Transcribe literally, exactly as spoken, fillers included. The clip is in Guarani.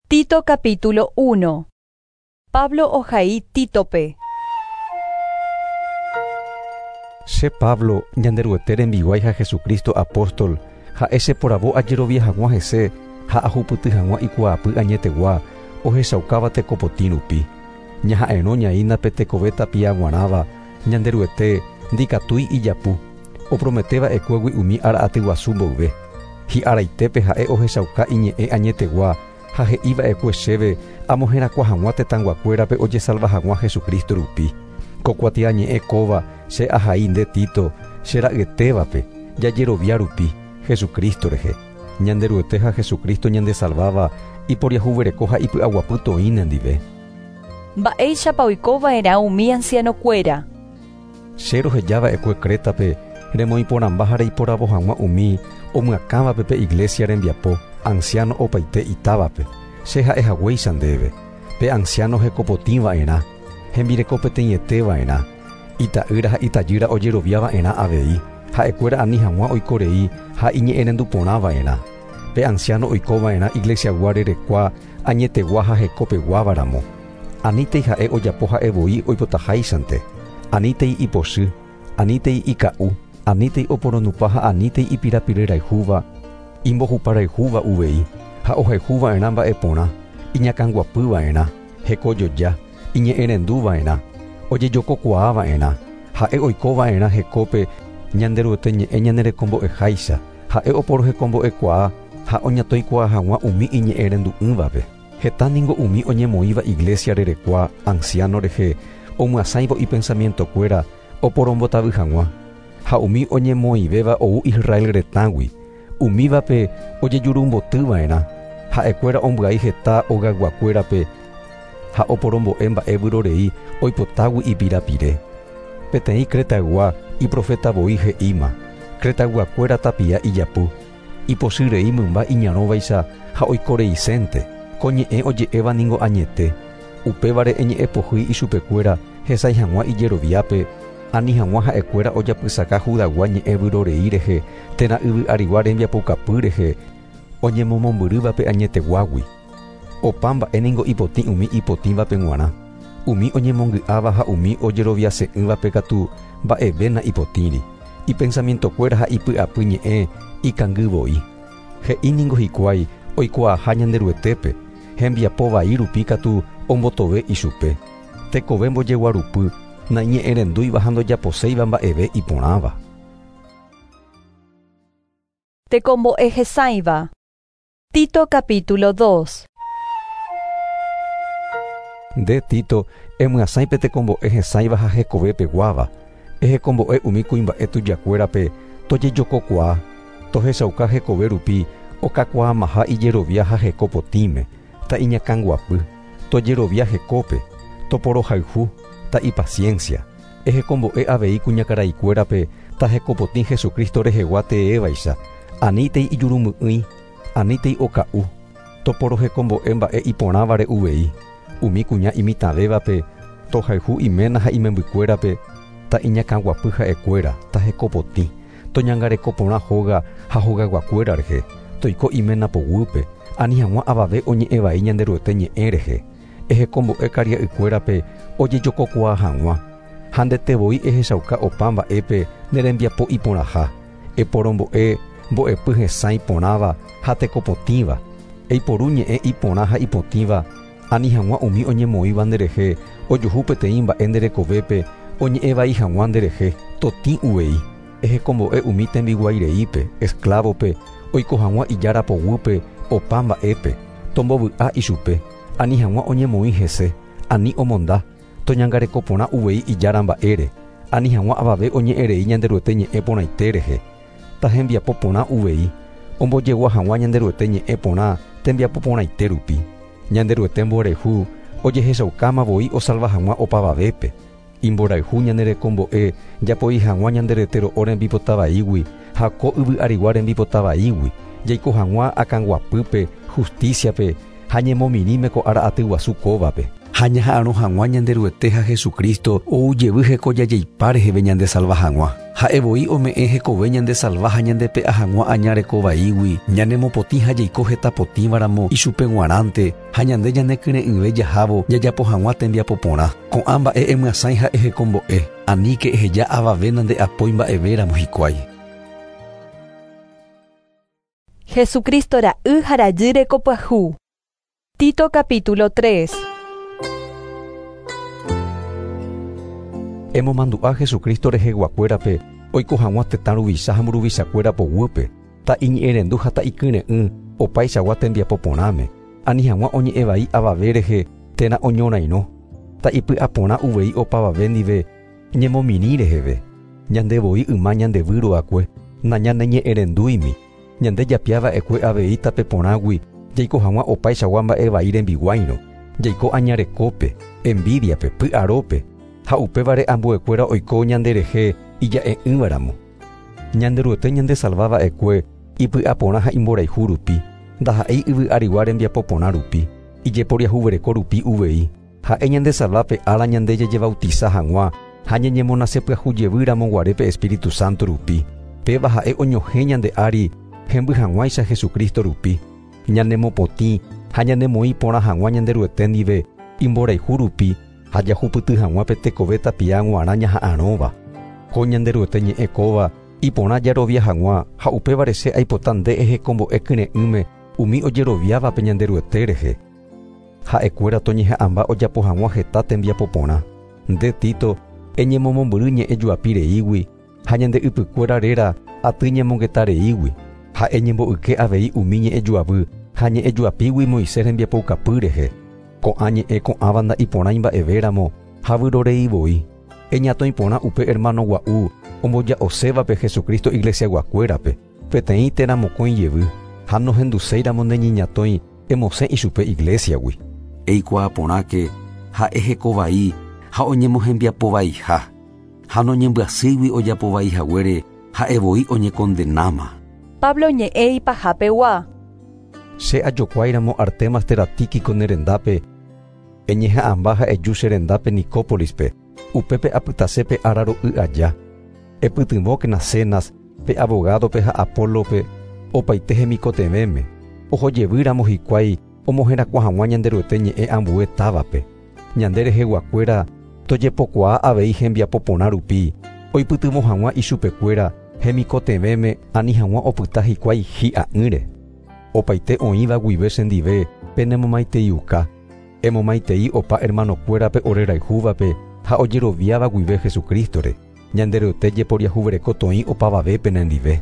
Tito capítulo uno. Pablo ohai Titope. Che Pablo, Ñanderuete rembiguái ha Jesucristo apóstol, ha'e cheporavo ajerovia hag̃ua hese ha ahupyty hag̃ua ikuaapy añetegua ohechaukáva tekopotĩ rupi. Ñaha'erõ ñaína pe tekove tapia g̃uarãva Ñanderuete ndikatúi ijapu, oprometeva'ekuégui umi ára aty guasu mboyve. Hi'araitépe ha'e ohechauka iñe'ẽ añetegua ha he'iva'ekue chéve amoherakuã hag̃ua tetãyguakuérape ojesalva hag̃ua Jesucristo rupi. Ko kuatiañe'ẽ kóva che ahai nde Tito, che ra'yetévape, jajerovia rupi Jesucristo rehe. Ñanderuete ha Jesucristo ñandesalváva iporiahuvereko ha ipy'aguapy toĩ nendive. Mba'éichapa oikova'erã umi ancianokuéra. Che rohejava'ekue Crétape remoĩporãmba ha reiporavo hag̃ua umi omyakãvape pe iglesia rembiapo, anciano opaite itávape, che ha'e haguéicha ndéve. Pe anciano hekopotĩva'erã, hembireko peteĩeteva'erã, ita'ýra ha itajýra ojeroviava'erã avei, ha'ekuéra ani hag̃ua oikorei ha iñe'ẽrenduporãva'erã. Pe anciano oikova'erã iglesiagua rerekua añetegua ha hekopeguávaramo. Anítei ha'e ojapo ha'evoi oipotaháichante, anítei ipochy, anítei ika'u, anítei oporonupa ha anítei ipirapirerayhúva, imbohuparayhúva uvei, ha ohayhuva'erã mba'eporã, iñakãguapyva'erã, hekojoja, iñe'ẽrenduva'erã, ojejokokuaava'erã, ha'e oikova'erã hekópe Ñanderuete ñe'ẽ ñanerekombo'eháicha, ha'e oporohekombo'ekuaa ha oñatoikuaa hag̃ua umi iñe'ẽrendu'ỹvape. Heta ningo umi oñemoĩva iglesia rerekua anciano rehe omyasãivo ipensamientokuéra oporombotavy hag̃ua, ha umi oñemoĩvéva ou Israel retãgui, umívape ojejurumbotyva'erã, ha'ekuéra ombyai heta ogayguakuérape ha oporombo'e mba'e vyrorei oipotágui ipirapire. Peteĩ Cretaygua iprofeta voi he'íma, Cretaguakuéra tapia ijapu, ipochyrei mymba iñarõvaicha ha oikoreisente, ko ñe'ẽ oje'éva ningo añete, upévare eñe'ẽpohýi ichupekuéra hesãi hag̃ua ijeroviápe, ani hag̃ua ha'ekuéra ojapysaka Judagua ñe'ẽ vyrorei rehe térã yvy arigua rembiapokapy rehe oñemomombyrývape añeteguágui. Opa mba'e ningo ipotĩ umi ipotĩvape g̃uarã, umi oñemongy'áva ha umi ojeroviase'ỹvape katu mba'evéna ipotĩri, ipensamientokuéra ha ipy'apy ñe'ẽ ikangyvoi. He'i ningo hikuái oikuaaha Ñanderuetépe, hembiapo vai rupi katu ombotove ichupe. Tekove mbojeguarupy naiñe'ẽrendúiva ha ndojaposéiva mba'eve iporãva. Tekombo'e hesãiva. Tito capítulo dos. Nde Tito, emyasãipe tekombo'e hesãiva ha hekovepeguáva, ehekombo'e umi kuimba'e tujakuérape tojejokokuaa, tohechauka hekove rupi okakuaamaha ijerovia ha hekopotĩme, ta'iñakãguapy, tojerovia hekópe, toporohayhu, ta'ipaciencia. Ehekombo'e avei kuñakaraikuérape tahekopotĩ Jesucristo rehegua teévaicha, anítei ijurumy'ỹi, anítei oka'u, toporohekombo'e mba'e iporãvare uvei, umi kuña imitãvévape, tohayhu iména ha imembykuérape, ta'iñakãguapy ha'ekuéra, tahekopotĩ, toñangarekoporã hóga ha hogayguakuéra rehe, toiko iména poguýpe, ani hag̃ua avave oñe'ẽvai Ñanderuete ñe'ẽ rehe, ehekombo'e karia'ykuérape ojejokokuaa hag̃ua, ha ndetevoi ehechauka opa mba'épe nerembiapo iporãha, eporombo'e mbo'epy hesãi porãva ha tekopotĩva, eiporu ñe'ẽ iporã ha ipotĩva, ani hag̃ua umi oñemoĩva nderehe ojuhu peteĩ mba'e nderekovépe oñe'ẽvai hag̃ua nderehe totĩ uvei. Ehekombo'e umi tembiguaireípe, esclavope, oiko hag̃ua ijára poguýpe opa mba'épe, tombovy'a ichupe, ani hag̃ua oñemoĩ hese, ani omonda, toñangarekoporã uvei ijára mba'ére, ani hag̃ua avave oñe'ẽrei Ñanderuete ñe'ẽ porãite rehe, tahembiapo porã uvei, ombojegua hag̃ua Ñanderuete ñe'ẽ porã tembiapo porãite rupi. Ñanderuete mborayhu ojehechaukáma voi osalva hag̃ua opavavépe. Imborayhu ñanerekombo'e japoi hag̃ua ñanderete ro'o rembipotavaígui ha ko yvy arigua rembipotavaígui, jaiko hag̃ua akãguapýpe, justiciape ha ñemomirĩme ko ára aty guasu kóvape. Ha ñaha'arõ hag̃ua Ñanderuete ha Jesucristo oujevy hekojajeipa reheve ñandesalva hag̃ua. Ha'e voi ome'ẽ hekove ñandesalva ha ñandepe'a hag̃ua aña rekovaígui, ñanemopotĩ ha jaiko heta potĩvaramo ichupe g̃uarãnte ha ñande ñanekyre'ỹve jahávo jajapo hag̃ua tembiapo porã. Ko'ã mba'e emyasãi ha ehekombo'e, aníke eheja avave nande'apói mba'evéramo hikuái. Jesucristo ra'y ha rajy rekopyahu. Tito capítulo tres. Emomandu'a Jesucristo reheguakuérape oiko hag̃ua tetã ruvicha ha mburuvichakuéra poguýpe, ta'iñe'ẽrendu ha ta'ikyre'ỹ opaichagua tembiapo porãme, ani hag̃ua oñe'ẽvai avave rehe térã oñorairõ, ta'ipy'aporã uvei opavave ndive ñemomirĩ reheve. Ñandevoi yma ñandevyro'akue, nañaneñe'ẽrendúimi, ñande japiava'ekue avei tape porãgui jaiko hag̃ua opaichagua mba'evai rembiguáirõ, jaiko añarekópe, envidiape, py'arópe, ha upévare ambuekuéra oiko ñanderehe ija'e'ỹvaramo. Ñanderuete ñandesalvava'ekue ipy'aporã ha imborayhu rupi, ndaha'éi yvy arigua rembiapo porã rupi, ijeporiahuvereko rupi uvei. Ha'e ñandesalvápe ára ñande jajebautiza hag̃ua ha ñañemonasepyahu jevýramo guarépe Espíritu Santo rupi. Péva ha'e oñohẽ ñande ári hemby hag̃uáicha Jesucristo rupi, ñanemopotĩ ha ñanemoĩ porã hag̃ua Ñanderuete ndive imborayhu rupi ha jahupyty hag̃ua pe tekove tapia g̃uarã ñaha'arõva. Ko Ñanderuete ñe'ẽ kóva iporã jarovia hag̃ua ha upévare che aipota nde ehekombo'e kyre'ỹme umi ojeroviávape Ñanderuete rehe. Ha'ekuéra toñeha'ãmba ojapo hag̃ua heta tembiapo porã. Nde Tito eñemomombyry ñe'ẽ joapi reígui ha ñande ypykuéra réra aty ñemongeta reígui. Ha eñembo'yke avei umi ñe'ẽ joavy ha ñe'ẽ joapígui Moisés rembiapoukapy rehe. Ko'ã ñe'ẽ ko'ãva nda'iporãi mba'evéramo ha vyroreivoi. Eñatõi porã upe hermano gua'u omboja'osévape Jesucristo iglesiaguakuérape, peteĩ térã mokõi jevy, ha nohenduséiramo neñeñatõi emosẽ ichupe iglesiagui. Eikuaa porãke ha'e hekovai ha oñemohembiapovaiha, ha noñembyasýigui ojapovaihaguére ha'evoi oñekondenáma. Pablo ñe'ẽ ipahapegua. Che ajokuáiramo Artemas térã Tíquico nerendápe, eñeha'ãmba ha eju che rendápe Nicópolispe, upépe apytasépe ára ro'y aja. Epytyvõkena Zenas, pe abogadope ha Apólope, opaite hemikotevẽme, ohojevýramo hikuái omoherakuã hag̃ua Ñanderuete ñe'ẽ ambue távape. Ñande reheguakuéra tojepokuaa avei hembiapo porã rupi, oipytyvõ hag̃ua ichupekuéra hemikotevẽme ani hag̃ua opyta hikuái hi'a'ỹre. Opaite oĩva guive chendive penemomaiteiuka, emomaitei opa hermanokuérape orerayhúvape ha ojeroviáva guive Jesucristore. Ñanderuete jeporiahuvereko toĩ opavave penendive.